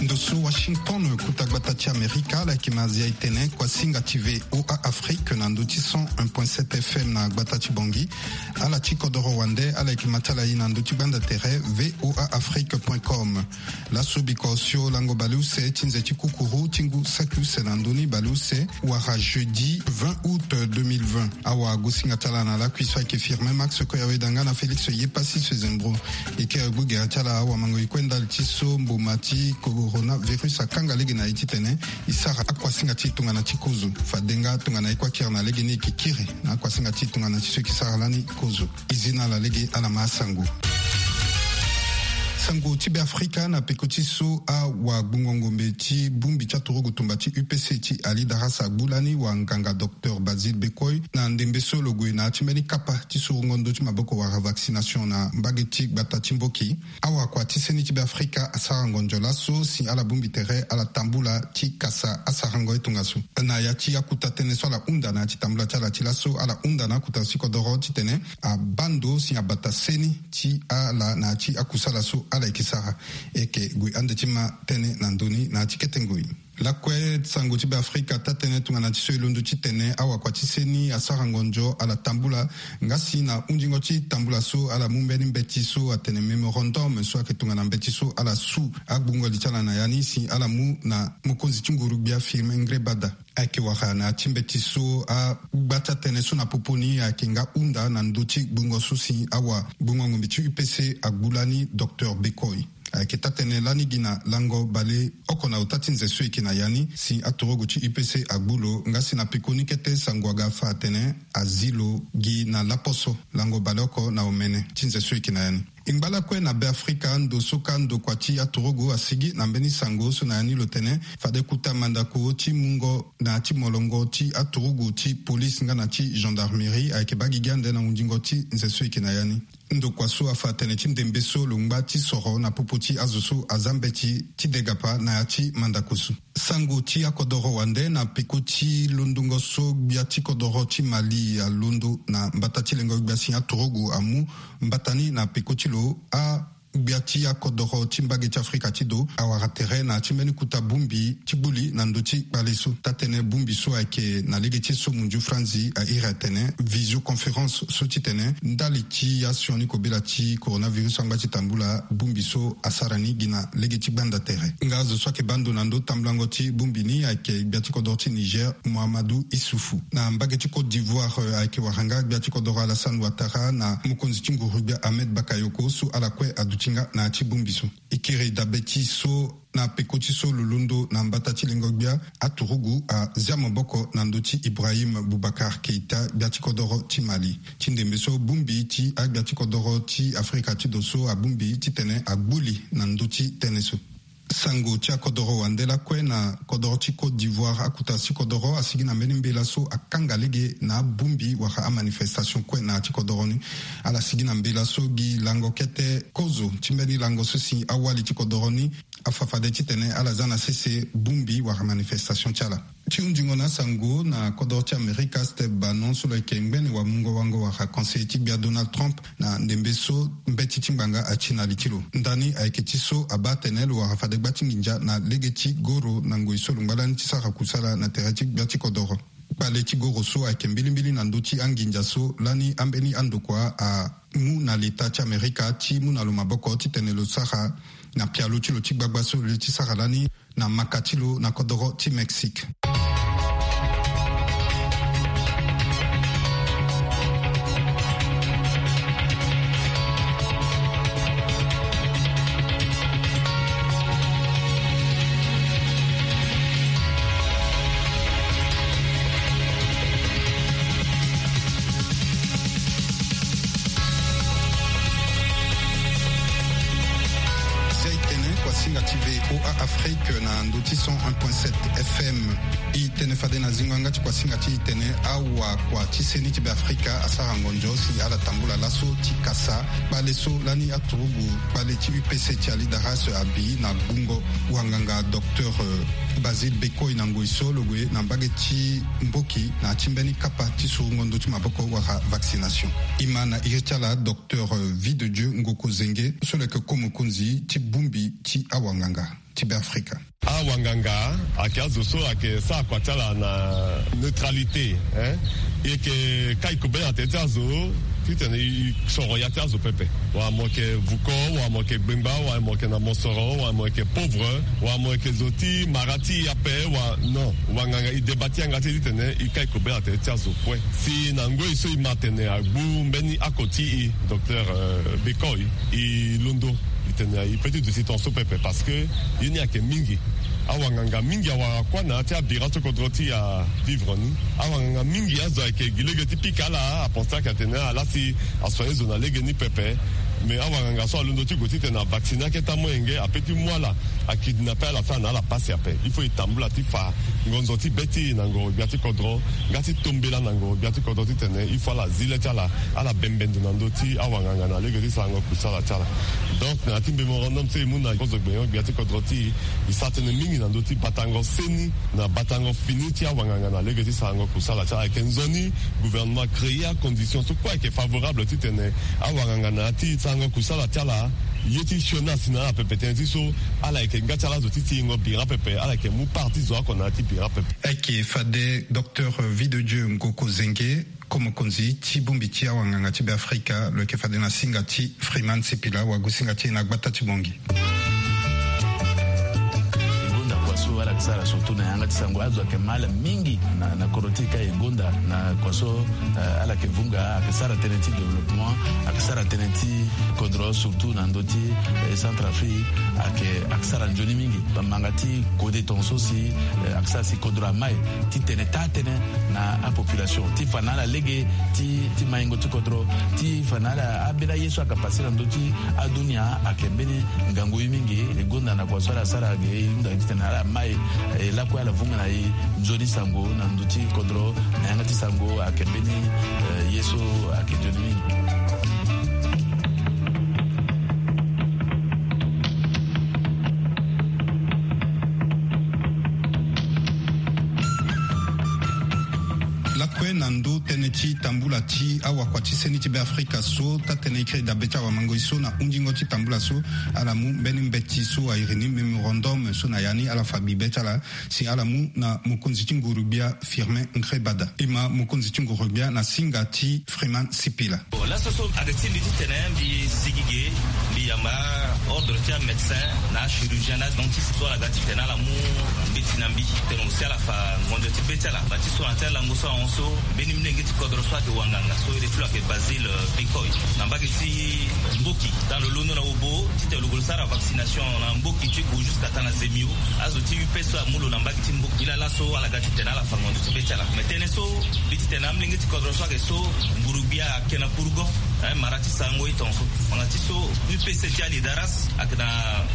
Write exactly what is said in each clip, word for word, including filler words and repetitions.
Ndo so Washington, kota gbata ti Amerika, ala yeke ma zia e tene kuasinga ti VOA Afrique na ndo ti cent un point sept F M na gbata ti Bangui. Ala ti kodoro wande, ala yeke ma ti ala ye na ndo ti gbanda tere voa afrique point com. Laso biko osio lango baleuse ti nze ti kukuru ti ngu saki use na ndoni baleuse wara jeudi vingt août deux mille vingt. Awagosinga ti ala na lakui so ayeke Firmin Max Koyawe Danga na Félix Yepassi Sezembro. E kiri gbu gere ti ala awamango e kue ndali ti so mboma ti coronavirus akanga lege na e titene e sara akuasinga ti tongana ti kozo. Fade nga tongana e kue akiri na lege ni e ke kiri na akuasinga ti tongana ti so e ke sara lani kozo. E zi na ala lege ala ma asango. Sango ti Beafrika na peko ti so awagbungo ngombe ti bongbi ti aturugu tumba ti U P C ti Ali Darras agbu lani wanganga docteur Basile Bekoi na ndembe so lo gue na ya ti mbeni kapa ti surungo ndö ti maboko wala vaccination na mbage ti gbata ti Mboki. Awakua ti seni ti Beafrika asara ngonzo laso si ala bongbi tere ala tambula ti kasa asarango ye tongaso. Na ya ti akuta tënë so ala hunda na ya ti tambula ti ala ti laso, ala hunda na akuta ti kodoro titene abaa ndo si abata seni ti ala na ya ti akusala so ala yeke sara. E yeke gue ande ti ma tënë na ndö ni na ya ti kete ngoi. Lakue sango ti Beafrika taa-tënë tongana ti so e londo titene awakua ti seni asara ngonzo ala tambula. Nga si na hunzingo ti tambula so ala mu mbeni mbeti so atene mémorandum so ayeke tongana mbeti so ala su agbungo li ti ala na ya ni si ala mu na mokonzi ti nguru-gbia Firmin Ngrébada. Ayeke wara na ya ti mbeti so agba ti atënë so na popo ni ayeke nga hunda na ndö ti gbungo so si awagbungo ngombe ti U P C agbu lani docteur Bekoi. Ayeke taa-tënë lani gi na lango baleoko na ota ti nze so e yeke na ya ni si aturugu ti U P C agbu lo nga si na peko ni kete sango aga fa atene azi lo gi na laposo lango baleoko na omene ti nze so e yeke na ya ni. E ngba lakue na Beafrika ndo so ka ndokua ti aturugu asigi na mbeni sango so na ya ni lo tene fade kuta mandako ti mungo na ya ti molongo ti aturugu ti polise nga na ti gendarmerie ayeke baa gigi ande na hunzingo ti nze so e yeke na ya ni. Ndokua so afa atene ti ndembe so lo ngba ti soro na popo ti azo so aza mbeti ti degapa na ya ti mandako so. Sango ti akodoro wande na peko ti londongo so gbia ti kodoro ti Mali alondo na mbata ti lengo gbia si aturugu amu mbata ni na peko ti lo a gbia ti akodoro ti mbage ti Afrika ti do awara tere na ya ti mbeni kuta bongbi ti gbu li na ndö ti kpale so. Taa-tënë bongbi so ayeke na lege ti so munzu franzi a iri atene visioconférence so titene ndali ti asioni kobela ti coronavirus so angba ti tambula bongbi so asara ni gi na lege ti gbanda tere. Nga azo so ayeke baa ndo na ndö tambulango ti bongbi ni ayeke gbia ti kodoro ti Niger Mohamedou Issoufou. Na mbage ti Côte d'Ivoire, eh, ayeke wara nga gbia ti kodoro Alassane Ouattara na mokonzi ti nguru-gbia Ahmed Bakayoko so ala kue aduti nga na ya ti bongbi so. E kiri dabe ti so na peko ti so lo londo na mbata ti lengo gbia, aturugu azia maboko na ndö ti Ibrahim Boubacar Keita, gbia ti kodoro ti Mali. Ti ndembe so bongbi ti agbia ti kodoro ti Afrika ti do so abongbi titene agbu li na ndö ti tënë so. Sango ti akodoro wande lakue na kodoro ti Côte d'Ivoire, akuta ti kodoro asigi na mbeni mbela so akanga lege na abongbi wala amanifestation kue na ya ti kodoro ni. Ala sigi na mbela so gi lango kete kozo ti mbeni lango so si awali ti kodoro ni afa fade titene ala za na sese bongbi wala manifestation ti ala. Ti hunzingo na asango na kodoro ti Amerika, Steve Bannon so lo yeke ngbene wamungo wango wala conseiller ti gbia Donald Trump na ndembe so mbeti ti ngbanga ati na li ti lo. Ndani ayeke ti so abaa atene lo wara fade gba ti nginza na lege ti goro na ngoi so lo ngba lani ti sara kusala na tere ti gbia ti kodoro. Kpale ti goro so ayeke mbilimbili na ndö ti anginza so lani ambeni andokua amu na leta ti Amerika ti mu na lo maboko titene lo sara na pialo ti lo ti gbagba so lo ye ti sara lani na maka ti lo na kodoro ti Mexique. Zia e tene kuasinga ti VOA Afrique na ndo ti cent un point sept F M. E tene fade na zingo yanga ti kuasinga ti e tene awakua ti seni ti Beafrika asara ngonzo si ala tambula laso ti kasa kpale so lani aturugu kpale ti U P C ti Ali Darras abi na gbungo wanganga docteur, euh, Basile Bekoi na ngoi so lo gue na mbage ti Mboki na ya ti mbeni kapa ti sorongo ndö ti maboko wala vaccination. E ma na iri ti ala docteur Vie de Dieu Ngoko Zenge so lo yeke ko mokonzi ti bongbi ti awanganga ti Beafrika. Awanganga ayeke azo so ayeke sara kua ti ala na neutralité, hein. E yeke kai kobela na tere ti azo titene e soro ya ti azo pepe. Wala mo yeke vuko, wala mo yeke gbengba, wala mo yeke na mosoro, wala mo yeke pauvre, wala mo yeke zo ti mara ti e ape, wala non. Wanganga e deba ti yanga ti e titene e kai kobela na tere ti azo kue. Si na ngoi so e ma tene agbu mbeni ako ti e, docteur, euh, Bekoi, e londo. E tene e peut ti duti tongaso pepe parce que ye ni ayeke mingi. Awanganga mingi awara kua na ya ti abira ti kodro ti e avivre ni. Awanganga mingi azo ayeke gi lege ti pika ala, apense ti ayeke atene ala si asoigner zo na lege ni pepe. Mais awanganga so alondo ti gue titene avacciner aketa molenge, ape ti mu ala, akidnappe ala, fait na ala pasi ape. Il faut e tambula ti fa ngonzo ti be ti e na ngoro gbia ti kodro, nga ti tombela na ngoro gbia ti kodro titene il faut ala zi le ti ala, ala bembe ndo na ndö ti awanganga na lege ti sarango kusala ti ala. Donc na ya ti mémorandum so e mu na kozo gbenyo gbia ti kodro ti e, e sara tënë mingi na ndö ti batango seni na batango fini ti awanganga na lege ti sarango kusala ti ala. Ayeke nzoni gouvernement créer acondition so kue ayeke favorable titene awanganga na ya ti sarango kusala ti ala, ye ti sioni asi na ala pepe tënë ti so ala yeke nga ti ala azo ti tingo bira pepe, ala yeke mu part ti zo oko na ya ti bira pepe. Ayeke fade docteur Vie de Dieu Ngoko Zenge, ko mokonzi ti bongbi ti awanganga ti Beafrika, lo yeke fade na singa ti Freeman Sipila, wagu singa ti e na gbata ti Bongi. E gonda kua so ala yeke sara surtout na yanga ti sango, azo ayeke ma ala mingi na, na kodro ti e ka e gonda na kua so, eh, ala yeke vunga, ayeke sara tënë ti développement, ayeke sara tënë ti kodro surtout na ndö ti, eh, Centrafrique, ayeke, ayeke sara nzoni mingi. Bamanga ti kode tongaso si, eh, ayeke sara si kodro amai ti tene taa tënë na apopulation ti fa na ala lege ti, ti maingo ti kodro, ti fa na ala ambeni aye so ayeke pase na ndö ti adunia ayeke mbeni ngangu ye mingi. E gonda na kua so ala sara ge, e hunda titene ala mai, e lakue ala vunga na e nzoni sango na ndö ti kodro, na yanga ti sango ayeke mbeni, eh, ye so ayeke nzoni mingi. Lakue na ndö tënë ti tambula ti awakua ti seni ti Beafrika so, taa-tënë e kiri dabe ti awamangoi so na hunzingo ti tambula so, ala mu mbeni mbeti so airi ni mémorandum so na ya ni ala fa bibe ti ala si ala mu na mokonzi ti nguru-gbia Firmin Ngrébada. E ma mokonzi ti nguru-gbia na singa ti Freeman Sipila. Bon, laso so ayeke ti mbi titene mbi sigi ge, mbi yamba ordre ti amédecin na achirurgien na adentiste so ala ga titene ala mu mbeti na mbi titene aussi ala fa ngonzo ti be ti ala. Bâ ti so na ya ti alango so ahon so, mbeni molenge ti kodro so ayeke wanganga so iri ti lo ayeke Basile, euh, Bekoi, na mbage ti Mboki, titene lo londo na Obo titene lo gue lo sara vaccination na Mboki ti Gu jusqu'à taa na Zemio. Azo ti U P S so amu lo na mbage ti Mboki. Nilaa laso ala ga titene ala fa ngonzo ti be ti ala. Mais tënë so mbi titene amolenge ti kodro so ayeke so, nguru-gbia ayeke na Kourgon, eh, mara ti sarango e tongaso. Ngbanga ti so, U P C ti Alidaras ayeke na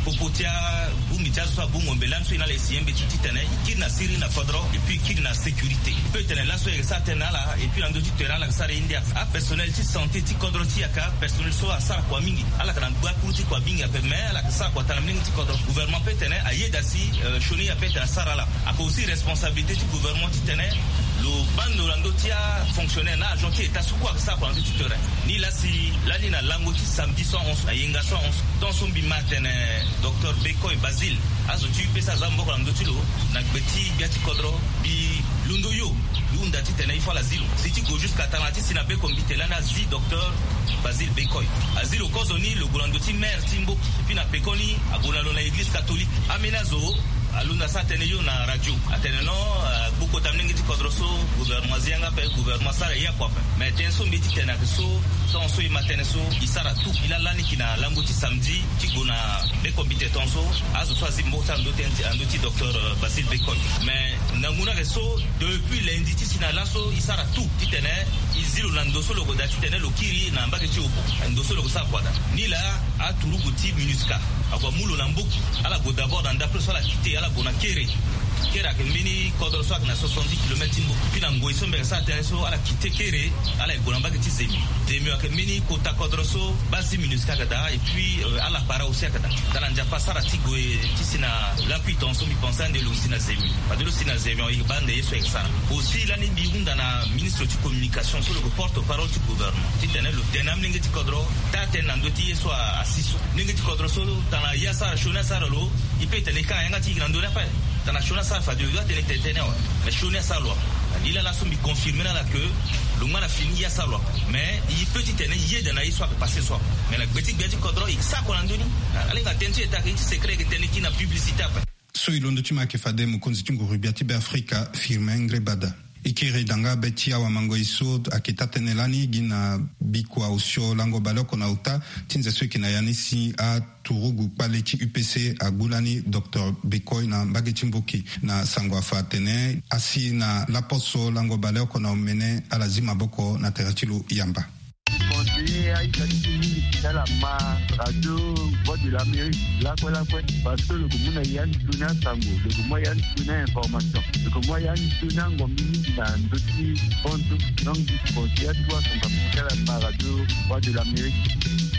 popo ti abongbi ti azo so abongbo mbela ni so e na ala e signé mbeti titene e kiri na siriri na kodro, et puis e kiri na sécurité. Peut tene laso e yeke sara tënë na ala, et puis na ndö ti terrain ala yeke sara ye ndia. Apersonnel ti santé ti kodro ti e ayeke apersonnel so asara kua mingi. Ala yeke na gbakuru ti kua mingi ape, mais ala yeke sara kua taa na molenge ti kodro. Gouvernement peut tene ayeda si, euh, sioni ape tene asara ala. Ayeke aussi responsabilité ti gouvernement titene lo baa ndo na ndö ti afonctionnaire na agent ti État so kue ayeke sara kua na ndö ti terrain. Nilaa si lani na lango ti samedi so ahon so, na yenga so ahon so, tongaso mbi ma atene docteur Bekoi Basile, azo ti U P S aza maboko na ndö ti lo na gbe ti gbia ti kodro. Mbi londo yo, mbi hunda titene il faut ala zi lo. Si ti gue jusqu'à taa na ya ti si na be kombite lani azi docteur Basile Bekoi. Azi lo kozoni, lo gue na ndö ti maire ti Mboki. Et puis na pekoni ague na lo na église catholique. Ambeni azo alondo asara tënë yo na radio atene non, euh, agbu kota molenge ti kodro so, gouvernement azi yanga ape, gouvernement asara e ya kua ape. Mais tënë so mbi ye ti tene ayeke so, tongaso e ma tënë so, e sara tout. E laa lani yeke na lango ti samedi ti gue na be kombite tongaso, azo so azi maboko ti ala na ndö ti, na ndö ti docteur, euh, Basile Bekoi. Mais ngangu ni ayeke so, depuis lundi ti si na laso e sara tout titene e zi lo na ndo so lo gue daa titene lo kiri na mbage ti Obo, ndo so lo gue sara kua daa. Nilaa aturugu ti MINUSCA ague amu lo na Mboki. Ala gue d'abord na ndapre so ala quitté, ala gue na Kéré. Kere ayeke mbeni kodro so ayeke na soixante-dix kilomètre ti mbo. Puis na ngoi so mbi yeke sara tënë so ala kite kere, ala yeke gue na mbage ti Zemio. Zemio ayeke mbeni kota kodro so base ti minusca ayeke daa. Et puis ala para aussi ayeke daa. Tana Nzapa asara ti gue ti si na lakui tongaso mbi pense ande lo si na Zemio. Fade lo si na Zemio e baa ande ye so ayeke sara. Aussi lani mbi hunda na ministre ti communication so lo yeke porte parole ti gouvernement titene lo tene amolenge ti kodro taa tënë na ndö ti ye so asi so. Molenge ti kodro so tana ye asara sioni asara lo. E pe e tene e kanga yanga ti e na ndö ni ape. Tana sioni asara fade lo doit tene tene tene awe. Mais sioni asara lo ape. Na lila laso mbi confirme na ala ke lo ngba na fini ye asara lo ape. Mais e pe ti tene e yeda na ye so ayeke passe so ape. Mais na gbe ti gbia ti kodro e sara kua na ndö ni. Ala hinga tënë ti e ta ke ye ti secret e yeke tene kiri na publicité ape. So e londo ti ma ayeke fade mokonzi ti nguru gbia ti Beafrika Firmin Ngrébada. E kiri danga be ti awamangoi so ayeke taa tënë lani gi na bikua osio lango baleoko na ota ti nze so e yeke na ya ni si aturugu kpale ti U P C agbu lani docteur Bekoi na mbage ti Mboki. Na sango afa atene asi na laposo lango baleoko na omene ala zi maboko na tere ti lo yamba. Conseiller aita ti ti mingi ti ala ma radio Voix de l'Amérique lakue lakue, parce que lo ke mu na ya ni tuni asango, lo ke mu ya ni tuni ainformation, lo ke mu ya ni tuni angombi mingi na ndö ti bantu. Donc conseiller atu asango ape ti ala ma radio Voix de l'Amérique.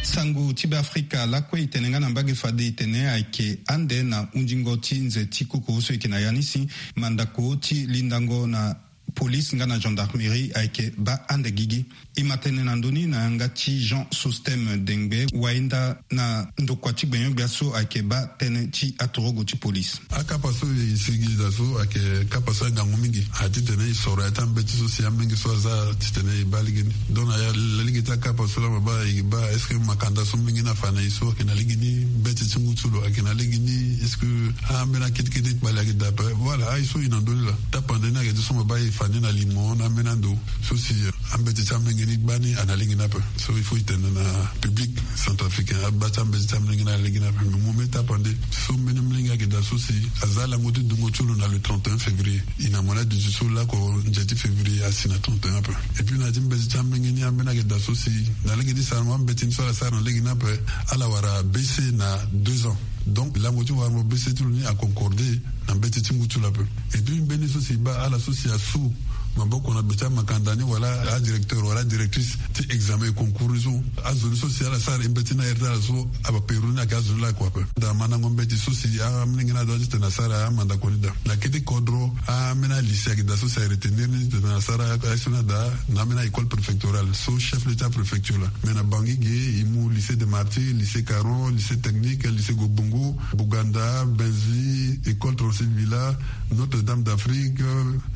Sango ti Beafrika lakue e tene nga na mbage fade e tene ayeke ande na hunzingo ti nze ti koko so e yeke na ya ni si mandako ti lindango na police nga na gendarmerie ayeke baa ande gigi. E ma tene na ndö ni na yanga ti Jean Sostème Dengbe, wayenda na ndokua ti gbenyo-gbia so ayeke baa tënë ti atorogo ti police. Akapa so e sigi daa so ayeke kapa so agangu mingi. Atitene e soro ya ti ambeti so si amolenge so aza titene e baa lege ni. Donc na ya lege ti akapa so laa ma baa e baa est-ce que makanda so molenge ni afa na e so ayeke na lege ni, mbeti ti ngu ti lo ayeke na lege ni, est-ce que ambeni akete kete kpali ayeke daa ape. Voilà aye so e na ndö ni laa. Tapande ni ayeke ti so ma baa e fa ni na limo na ambeni ando so si ambeti ti amolenge ni gbani ana lege ni ape. So il faut e tene na public centrafricain abaa ti ambeti ti amolenge ni ana lege ni ape. Mais mo me tapande so mbeni molenge ayeke daa so si aza lango ti dungo ti lo na le trente et un février. E na mo na duti so lako nze ti février asi na trente et un ape. Et puis na ya ti mbeti ti amolenge ni ambeni ayeke daa so si na lege ti sarango ambeti ni so ala sara na lege ni ape, ala wara baisser na deux ans. Donc lango ti warango baisser ti lo ni aconcorde na mbeti ti ngu ti lo ape. Et puis mbeni so si e baa ala so si asu maboko na gbe ti amakanda ni wala adirecteur wala adirectrice ti examen concours ni so, azo ni so si ala sara e mbeti ni na aire ti ala so abapero ni ayeke azo ni lakue ape. Daa mandango mbeti so si amolenge ni adoit ti tene asara amandako ni daa. Na kete kodro ambeni alycée ayeke daa so si aretenir ni titene asara aye so ni adaa na ambeni a-école préfectorale so chef lieu ti apréfecture laa. Mais na Bangui ge e mu lycée des Martyrs, lycée Caron, lycée technique, lycée Gobongo, Bouganda, Binzi, école trente-six Villa, Notre-Dame d'Afrique,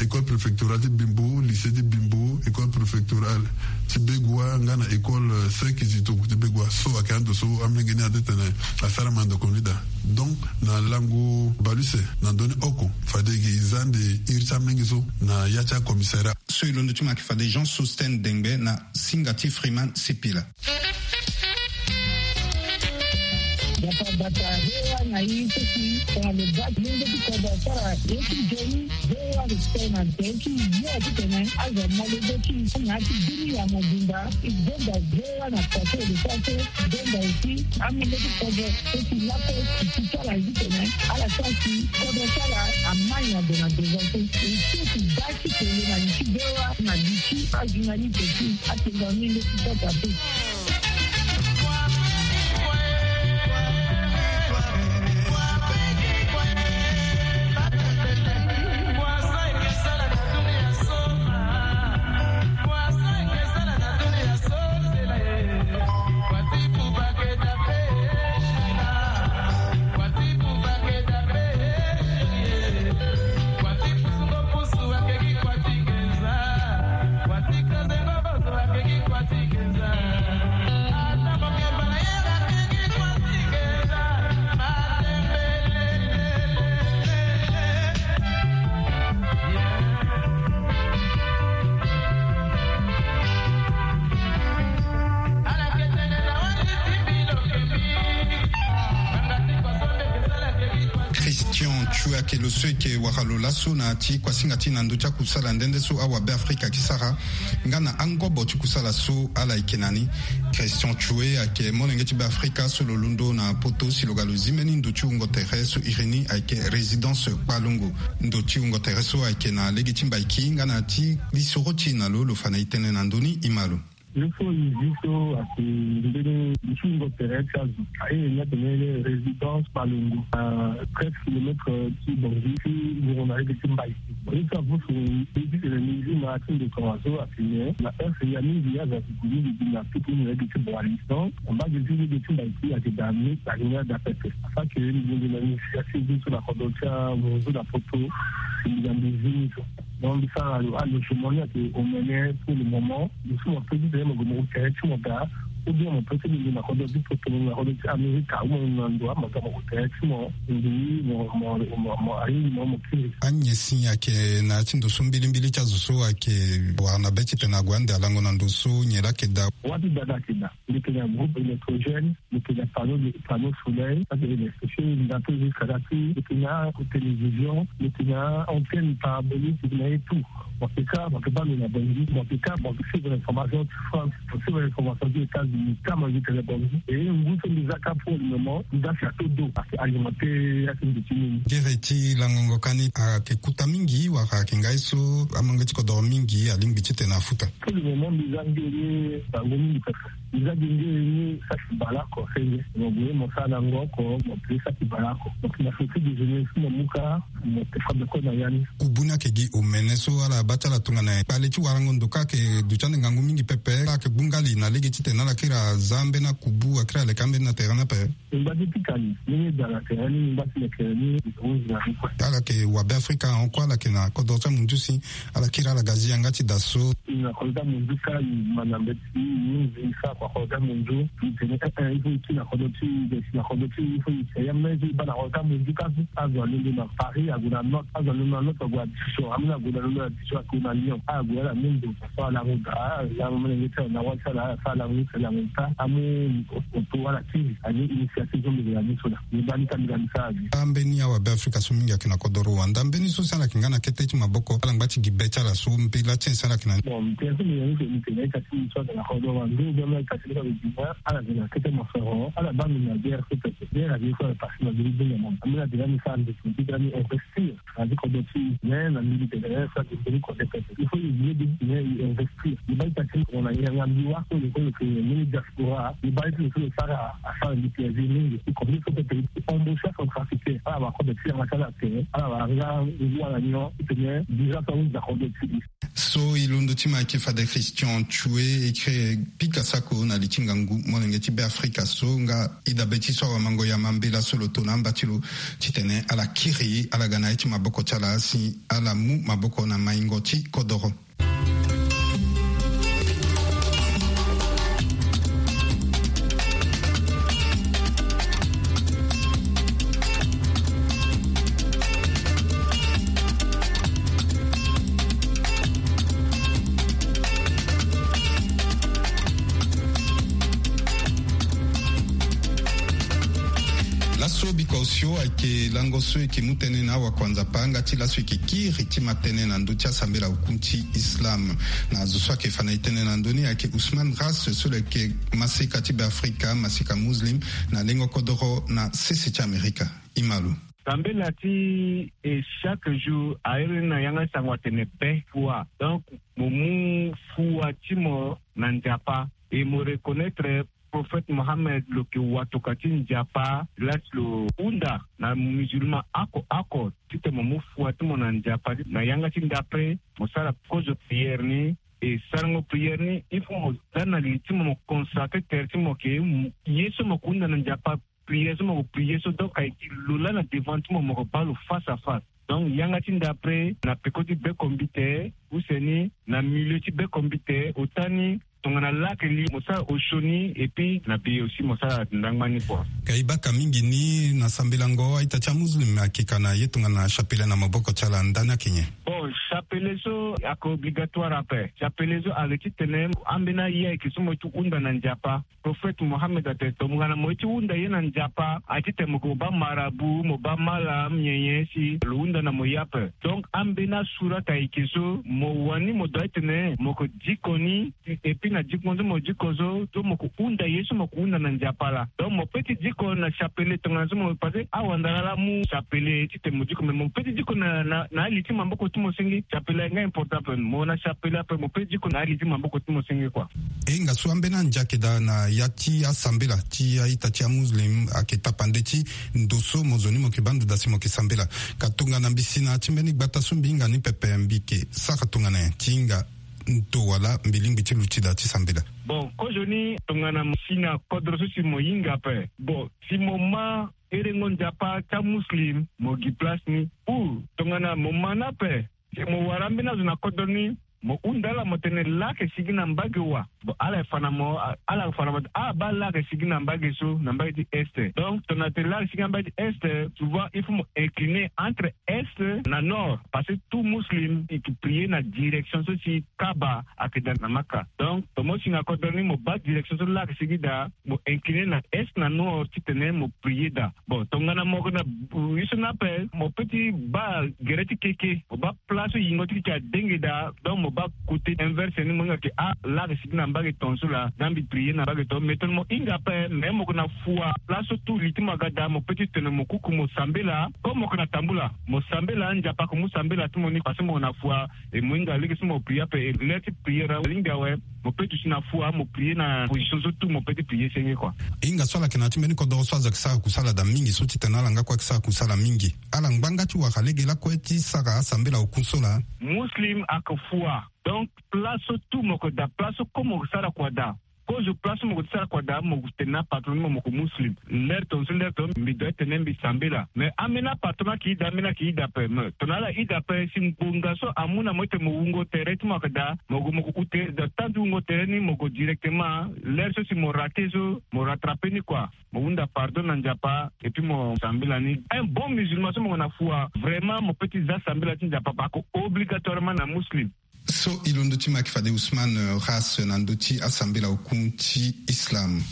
école préfectorale ti Bimbo, lycée ti Bimbo, école préfectorale ti Begoua nga na école Saint Kizito ti Begoua. So ayeke ando so amolenge ni aye ti tene asara mandako ni daa. Donc na lango bale use na ndö ni oko fade gi e za ande iri ti amolenge so na ya ti acommissariat. So e londo ti ma ayeke fade Jean Sostène Dengbe na singa ti Freeman Sipila. Bata bata hewa na ye so si tongana lo baa ti lenge ti kodro asara ye ti nzoni. Hewa respect na tere ti ye titene azo amolenge ti e na ya ti bini ya mobimba. E gonda hewa na kua so e lo sara so. Gonda aussi amolenge ti kodro so si lakue e si ti ala ye titene ala sara si kodro ti ala amai na gue na devant so. E so si baa ti kele na li ti hewa na li ti ajournaliste ti atenga amolenge ti kodro ape. Christian Chuake lo so eke wara lo laso na ti kuasinga ti na ndö ti akusala nde nde so awabe afrika eke sara nga na angobo ti kusala so ala eke na ni. Christian Tchoué ayeke molenge ti Beafrika so lo londo na poto si lo ga lo zi mbeni ndo ti wungo tere so iri ni ayeke résidence Kpalongo. Ndo ti wungo tere so ayeke na lege ti Mbaiki nga na ti lisoro ti e na lo, lo fa na e tënë na ndö ni. E ma lo. Ye so e zi so ayeke mbeni ndo ti wungo tere ti azo. Aye ni atene résidence Kpalongo, na treize kilomètres ti Bangui ti wungo na lege ti Mbaiki. Ye so apusu e zi tene ni zi na ya ti ndo tongaso atene na heure ya mingi azo ayeke gue mingi gi na tuku ni na lege ti Boali. Donc mbage ti lege ti Mbaiki ayeke daa ni, ayeke ni adaa pepe. Afa ke mbi gue na ni si asi zi so na kodro ti amunzu na poto, si mbi ga mbi zi ni so. Donc mbi sara lo, ah, lo logement ni ayeke omene pour le moment. Lo so mo peut ti tene mo gue mo tere ti mo daa, ou bien mo peut ti lingbi na kodro ti poto, na kodro ti Amerika, ou mo na ndo ama ga mo tere ti mo, mbi mo, mo, mo, mo, alingbi mo, mo kiri. Anyen si ayeke na ya ti ndo so mbilimbili ti azo so ayeke wara na be titene ague ande alango na ndo so nyen laa ayeke daa? Wâ ti daa laa ayeke daa. Mbi yeke na groupe électrogène, mbi yeke na panneau de, panneau solaire, ça c'est électrifié, mbi na tout jusqu'à là, mbi yeke na télévision, mbi yeke na antenne parabolique, mbi yeke na ye tout. Mo yeke ka, mo yeke baa lo na Bangui, mo yeke ka, mo yeke suivre information ti France, mo suivre information ti États-Unis, ka mo yeke tene Bangui. E ngu so mbi za ka pour le moment, mbi za château d'eau, ayeke alimenté ya ti mbi ti nini. Gere ti langongo ka ni ayeke kuta mingi wala ayeke ngai so amolenge ti kodoro mingi alingbi titene afuta? Pour le moment mbi za nge ye bango mingi pepe. Mbi za gi nge ye ni saki bale oko senge. Mo gue mo sara na ngo oko, mo peut saki bale oko. Donc na feti déjeuner so mo mu ka, mo te fa beko na ya ni. Kubu ni ayeke gi omene so ala baa ti ala tongana kpale ti warango ndo ka ayeke duti ande ngangu mingi pepe. Ala yeke gbu ngali na lege titene ala kiri aza ambeni akubu, akiri aleke ambeni na tere ni ape. Mbi ngba ti pika ni, ni ye daa na tere ni, mbi ngba ti leke ni, mbi hunzi na ni kue. Ala yeke wabe Afrika hon kue, ala yeke na kodro ti amunzu si ala kiri ala ga zi yanga ti daa so. Na kodro ti amunzu ka, e ma na mbeti, e hunzi, e sara kua kodro ti amunzu. E tene, eh, eh, il faut e kiri na kodro ti e, e si na kodro ti e, il faut e si ya même so e baa na kodro ti amunzu ka so. Azo alondo na Paris ague na Nantes, azo alondo na Nantes ague na Dijon, ambeni ague na londo na Dijon, ague na Lyon, ague ala mu ndo. So ala mu daa, ala mu molenge ti ala na wâ ti ala, ala sara ala mu ti ala mu taa, amu oto ala kiri, ani initiative so mbi yeke na ni so laa. Mbi baa ni ka mbi ga mbi sara avi. Ambeni awabe Afrika so mingi ayeke na kodoro wanda, mbeni so si ala yeke nga na kete ti maboko, ala ngba ti gi be ti ala so, mpila ti nyen si ala yeke na ni? Bon, mpila so mbi yeke na ni so, mbi tene ita ti so ayeke na kodoro wanda, ou bien ita ti so ayeke na Guinée, ala yeke na kete mosoro, ala baa mbi na guerre so pepe. Guerre ayeke so ala pase na mbi ni gbinga mama. Ambeni atene ani sara mbi, mbi tene ani investir. Na ti kodro ti e, mais na mbi mbi tene so ayeke mbeni kodro pepe. Il faut e zi ye de, mais e investir. E baa ita ti e, na yanga mbi wâ so lo so lo yeke mbeni diaspora. E baa ye ti lo so lo sara asara mbi plaisir mingi. E kodro so pepe e embaucher acentrafricain. Ala wara kodro ti yanga ti ala atene ala wara nga ngu ala nyon titene visa so ahunzi na kodro ti e. So e londo ti ma ayeke fade Christian Tchoué, écrit Pika Sako na li ti ngangu molenge ti Beafrika so nga e dabe ti so awamango ya mambela so lo to na amba ti lo titene ala kiri ala ga na ye ti maboko ti ala si ala mu maboko na maingo ti kodoro. Laso biko osio ayeke lango so e yeke mu tënë na awakuanzapa nga ti laso e yeke kiri ti ma tënë na ndö ti asambela oku ti Islam. Na azo so ayeke fa na e tënë na ndö ni ayeke Ousmane Ras so lo yeke maseka ti Beafrika, maseka muslim na lengo kodoro na sese ti Amerika. E ma lo. Sambela ti e chaque jour airi ni na yanga ti sango atene be fua. Donc mo mu fua ti mo na Nzapa et mo reconnaître prophète Mohammed lo yeke watokua ti Nzapa, la ti lo hunda na musulman oko oko titene mo mu fua ti mo na Nzapa na yanga ti ndapre mo sara kozo prière ni. E sarango prière ni, il faut mo za na li ti mo, mo consacrer tere ti mo ke ye so mo yeke hunda na Nzapa, prière so mo yeke prière so, donc ayeke lo laa na devant ti mo, mo yeke baa lo face à face. Donc yanga ti ndapre na peko ti beko mbite, use ni na milieu ti beko mbite, ota ni tongana laa ayeke li mo sara osio ni, et puis na be aussi mo sara ndangba ni kua. Ka e baka mingi ni na sambelango a-ita ti amuslim ayeke ka na ye tongana chapelet na maboko ti ala, ndani ayeke nyen? Bon, chapelet Chapelet so ayeke obligatoire ape. Chapelet so ayeke titene ambeni aye ayeke so mo ye ti hunda na Nzapa. Prophète Mohammed atene tongana mo ye ti hunda ye na Nzapa, aye titene mo yeke mo baa marabout, mo baa malam, nyen nyen si lo hunda na mo ye ape. Donc ambeni asurat ayeke so mo wani mo doit titene mo yeke diko ni. Et puis na diko so mo diko so, so mo yeke hunda ye so mo yeke hunda na Nzapa laa. Donc mo peut ti diko na chapelet tongana so mo, parce que awandara laa amu chapelet titene mo diko, mais mo peut ti diko na, na, na ali ti maboko ti mo senge. Chapelet ayeke nga important ape. Mo na chapelet ape, mo peut ti diko na ali ti maboko ti mo senge kua. E hinga so ambeni andia ayeke daa na ya ti asambela ti a-ita ti amuslim ayeke tapande ti ndo so mo zo ni mo yeke baa ndo daa si mo yeke sambela. Ka tongana mbi si na ya ti mbeni gbata so mbi hinga ni pepe, mbi yeke sara tongana nyen ti hinga ndo wala mbi lingbi ti luti daa ti sambela? Bon, kozoni tongana mo si na kodro so si mo hinga ape. Bon, si mo ma herengo Nzapa ti amuslim, mo gi place ni. Ou tongana mo ma ni ape, si mo wara ambeni azo na kodro ni, mo hunda ala mo tene laa ayeke sigi na mbage wa. Bon, ala fa na mo, ala fa na mo, ah, baa laa ayeke sigi na mbage so, na mbage ti est. Donc tongana tene laa ayeke sigi na mbage ti est, souvent il faut mo incliner entre est na nord, parce que tout muslim il peut prier na direction so si Kaaba ayeke daa na Maka. Donc tongana mo si na kodro ni, mo baa direction so laa ayeke sigi daa, mo incliner na est na nord titene mo prier daa. Bon, tongana mo yeke na, euh, ye so ni ape, mo peut ti baa gere ti keke, mo baa place so yingo ti keke adenge daa. Donc mo baa côté inverse ni, mo hinga ke, ah, laa ayeke sigi na mbage tongaso laa, nda mbi prier na mbage tongaso. Mais tongana mo hinga ape, mais mo yeke na fua place so tout li ti mo aga daa, mo peut ti tene mo kuku mo sambela. Comme mo yeke na tambula, mo sambela, Nzapa ayeke mu sambela ti mo ni, parce que mo yeke na fua. E mo hinga lege so mo prier ape, e l'heure ti prier alingbi awe. Mo peut duti na fua, mo prier na position so tout mo peut ti prier senge kua. Hinga so ala yeke na ya ti mbeni kodoro so azo ayeke sara kusala daa mingi so titene ala nga kue ayeke sara kusala mingi. Ala ngba nga ti wara lege lakue ti sara asambela oku so laa. Muslim ayeke fua. Donc place so tout mo yeke daa, place so comme mo yeke sara kua daa. Kozo place so mo yeke sara kua daa, mo tene na patron ni mo, mo yeke muslim. L'heure tongaso, l'heure tongaso mbi doit tene mbi sambela. Mais ambeni apatron ayeke daa, ambeni ayeke daa ape. Mais tongana ala daa ape, si ngbonga so amu na mo titene mo wungo tere ti mo ayeke daa, mo gue mo yeke hu tere daa, temps ti wungo tere ni mo gue directement. L'heure so si mo raté so, mo rattrapé ni kua. Mo hunda pardon na Nzapa, et puis mo sambela ni. Un bon musulman so mo yeke na fua, vraiment mo peut ti za sambela ti Nzapa, parce que obligatoirement na muslim. So e londo ti maki fade Ousmane, euh, Ras na ndö ti asambela oku ti Islam.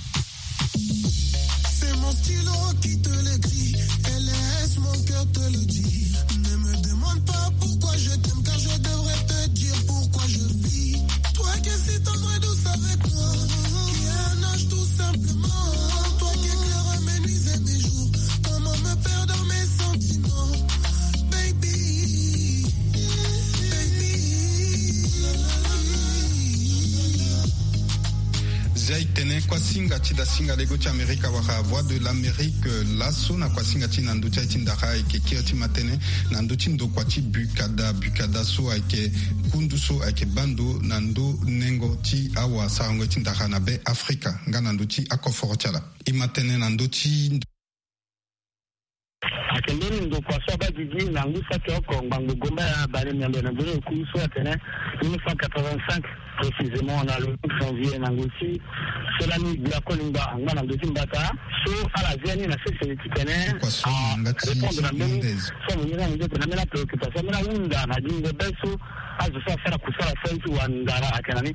C'est mon stylo qui te l'écrit, et laisse mon cœur te le dire. Ne me demande pas pourquoi je t'aime, car je devrais te dire pourquoi je vis. Toi qui es si tendre et douce avec moi, qui est un ange tout simplement. Toi qui éclaires mes nuits et mes jours, comment me perdre dans mes sentiments, baby, baby. Zia e tene kuasinga ti dasinga lego ti Amerika wala Voix de l'Amérique, euh, laso na kuasinga ti na ndö ti aye ti ndara ayeke kiri ti matene na ndö ti ndokua ti Bukada. Bukada so ayeke kundu so ayeke baa ndo na ndö nengo ti awasarango ye ti ndara na be Afrika nga na ndö ti akoforo ti ala. E matene na ndö ti Ayeke mbeni ndokua so abaa gigi na ngu saki oko ngbangbo gomba ya bale miambe na nzoni oku so atene mille neuf cent quatre-vingt-cinq, précisément na le huit janvier na ngoi ti so lani gbia kolingba angba na ndö ti mbata so ala zia ni na sese titene arépondre na mbeni so amongi na mo nze tene ambeni apréoccupation ambeni ahunda na gingo be so azo so asara kusala so aye ti wa ndara ayeke na ni.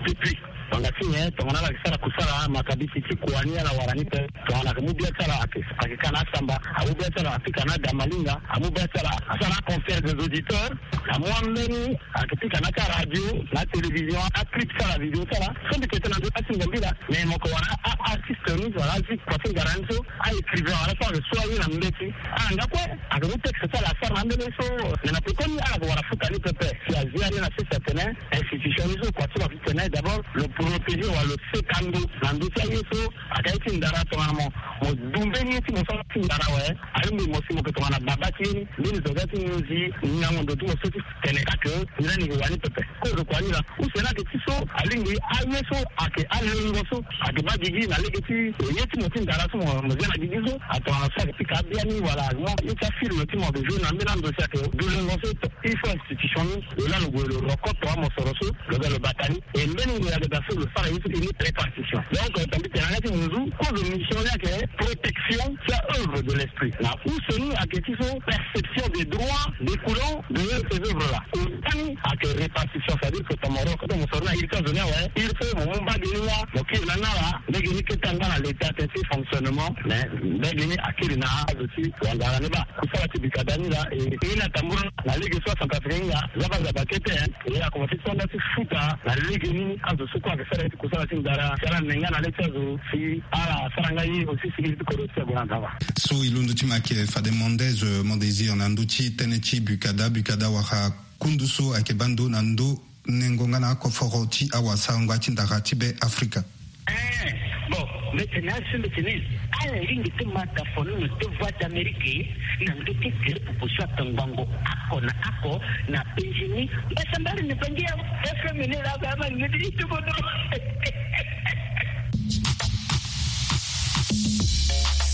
Depuis Tongana ti nyen? Tongana ala yeke sara kusala, makabisi ti kua ni ala wara ni pe. Tongana ayeke mu bia ti ala ayeke, ayeke ka na asamba, amu bia ti ala apika na adamalinga, amu bia ti ala asara na concert des auditeurs, amu ambeni ayeke pika na ti aradio, na atélévision, aclip ti ala, video ti ala. So mbi yeke tene na ndö ti asinga mbila, mais mo yeke wara a-artiste ni wala azi kua ti ngara ni so, a-écrivain wala so ayeke so aye na mbeti. Ala nga kue ayeke mu texte ti ala asara na ambeni so, mais na pekoni ala yeke wara futa ni pepe. Si azia ni na sese atene, institution ni so kua ti lo ayeke tene d'abord lo protéger wala lo seka ndo na ndö ti aye so ayeke aye ti ndara tongana mo, mo du mbeni ye ti mo so ti ndara awe. Alingbi mo si mo yeke tongana baba ti ye ni, mbeni zo ga ti nginzi ngango ndo ti mo so ti tene ka ke ni lani yeke wani pepe. Kozo kua ni laa. Use ni ayeke ti so alingbi aye so ayeke alengo so ayeke baa gigi na lege ti ye ti mo ti ndara so mo, mo zia na gigi so, atongana so ayeke pika abia ni wala mo ye ti afilme ti mo ayeke joue na ambeni ando si ayeke du lengo so. Il faut institution ni lo laa lo gue lo roko tongana mosoro so lo ga lo bata ni. E mbeni ngoi ayeke daa Tout le sara ye so e ni répartition. Donc, euh, tambi tene anga ti nduzu, kozo mission ni ayeke protection ti a-œuvre de l'esprit. Na use ni ayeke ti so perception des droits découlant de ces œuvres-là. Use ni ayeke répartition, c'est-à-dire que tongana mo soro na iri ti azo ni awe, il faut mo mu mbage ni nga, mo kiri na ni ala, lege ni kete anga na l'état ti fonctionnement, mais lege ni akiri na azo ti wangara ni baa. Kusala ti bikada ni laa, e, e na tambula na lege so acentrafricain nga, zaba zaba kete, hein. E akomanse ti sanda ti futa na lege ni azo so kue ayeke sara ye ti kusala ti ndara, si ala ne nga na le ti azo, si ala sara nga ye aussi, si iri ti kodro ti ague na ndava. So e londo ti ma ayeke fade Mendez, euh, Mondésir na ndö ti tënë ti bukada, bukada wala kundu so ayeke baa ndo na ndo nengo nga na akoforo ti awasarango ti ndara ti be Afrika. Eh, bon, mbi tene asi mbi tene, ala lingbi ti ma ta foni na te Voix d'Amérique, na ndö ti gere proposition atangbango oko na oko na penzi ni. Mbasambari ni bangi ya F M ni la ba ma ni ti tubono.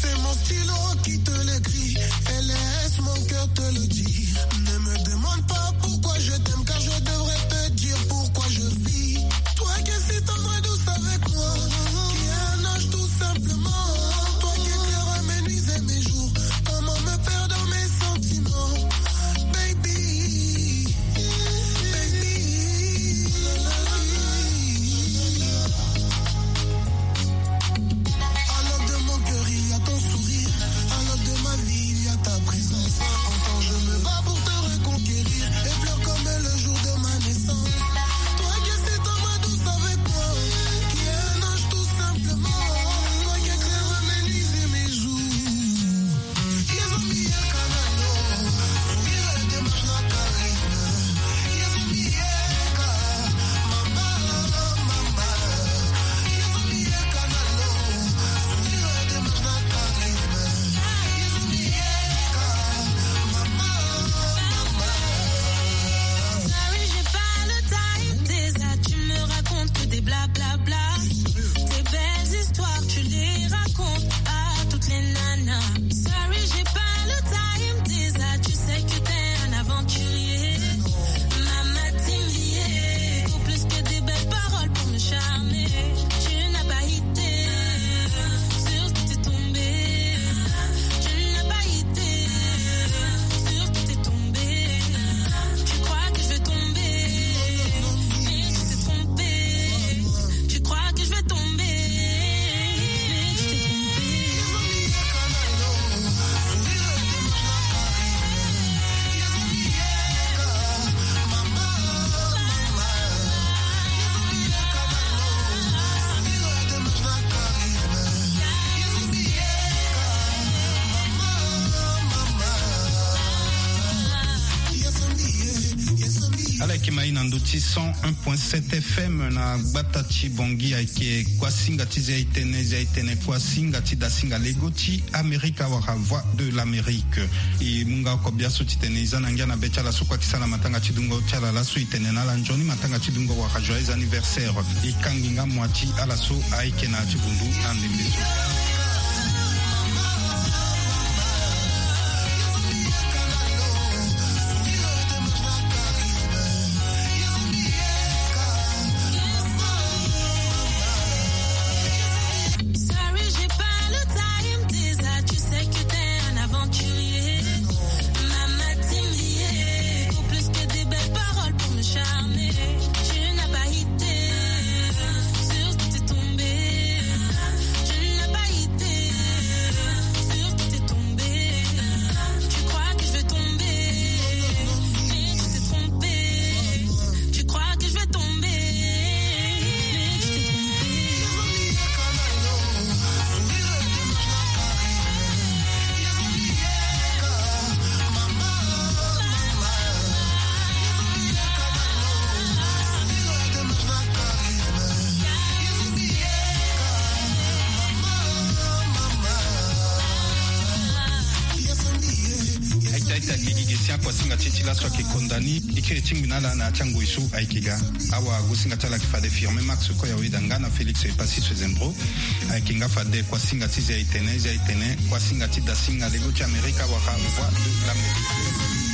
C'est mon stylo qui te l'écrit et laisse mon cœur te le dire. Ne me demande pas pourquoi je t'aime, car je devrais te dire pourquoi je vis. Toi qui es si tendre et douce avec moi, qui est un ange tout simplement. Toi qui éclaires mes nuits et mes jours, comment me perdre dans mes sentiments, baby, baby. À l'ombre de mon cœur, il y a ton sourire. À l'ombre de ma vie, il y a ta présence. Autant je me bats pour te reconquérir et pleure comme le jour de ma naissance. Toi qui es si tendre et douce avec moi, qui est un ange tout simplement. Toi qui éclaires mes nuits et mes jours. Sorry, j'ai pas le time, déjà tu me racontes que des blablabla. Tes belles histoires, tu les racontes à toutes les nanas. Sorry, j'ai pas le time, déjà tu sais que t'es un aventurier. Mama Timbier, faut plus que des belles paroles pour me charmer. Tu n'as pas idée sur qui t'es tombé. Tu n'as pas idée sur qui t'es tombé. Tu crois que je vais tomber, mais tu t'es trompé. Tu crois que je vais tomber, mais tu t'es trompé. Ala yeke ma e na ndö ti cent un point sept F M na gbata ti Bangui. Ayeke kuasinga ti Zia-e-tene, Zia-e-tene, kuasinga ti dasinga lego ti Amerika wala Voix de l'Amérique. E mu nga oko biaso titene e za na ngia na be ti ala so kue ayeke sara na matanga ti dungo ti ala laso, e tene na ala nzoni matanga ti dungo wala joyeux anniversaire. E kangi nga moi ti ala so ayeke na ya ti vundu na ndembe so. Sorry, j'ai pas le time, déjà tu sais que t'es un aventurier. Mama Timbier, faut plus que des belles paroles pour me charmer. Tu n'as pas idée sur qui t'es tombé. Tu n'as pas idée sur qui t'es tombé. Tu crois que je vais tomber, mais tu t'es trompé. Tu crois que je vais tomber, mais tu t'es trompé. Aita, aita, gigi, gesi, akuasinga ti e ti laso ayeke konda ni. E kiri tingbi na ala na ya ti angoi so ayeke ga. Awa, gosinga ti ala ayeke fade Firmin Max Koya Weda nga na Félix Epassis Zembro. Ayeke nga fade kuasinga ti Zia-e-tene, Zia-e-tene, kuasinga ti dasinga lego ti Amerika wala Voix de l'Amérique.